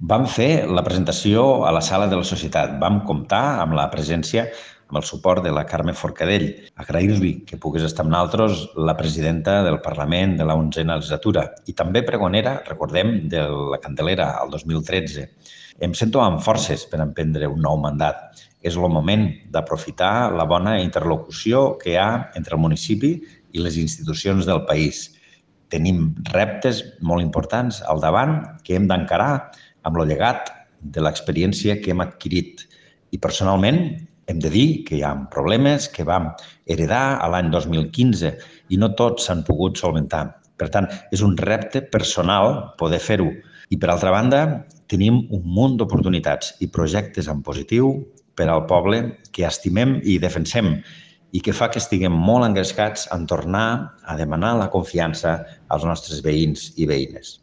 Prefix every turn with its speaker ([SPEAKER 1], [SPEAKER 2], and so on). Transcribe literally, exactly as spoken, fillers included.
[SPEAKER 1] Vam fer la presentació a la Sala de la Societat. Vam comptar amb la presència, amb el suport de la Carme Forcadell. Agrair-li que pogués estar amb nosaltres la presidenta del Parlament de la onzena legislatura i també pregonera, recordem, de la Candelera, el dos mil tretze. Em sento amb forces per emprendre un nou mandat. És el moment d'aprofitar la bona interlocució que hi ha entre el municipi i les institucions del país. Tenim reptes molt importants al davant que hem d'encarar amb el llegat de l'experiència que hem adquirit. I personalment hem de dir que hi ha problemes que vam heredar a l'any dos mil quinze i no tots s'han pogut solventar. Per tant, és un repte personal poder fer-ho. I per altra banda, tenim un munt d'oportunitats i projectes en positiu per al poble que estimem i defensem i que fa que estiguem molt engrescats en tornar a demanar la confiança als nostres veïns i veïnes.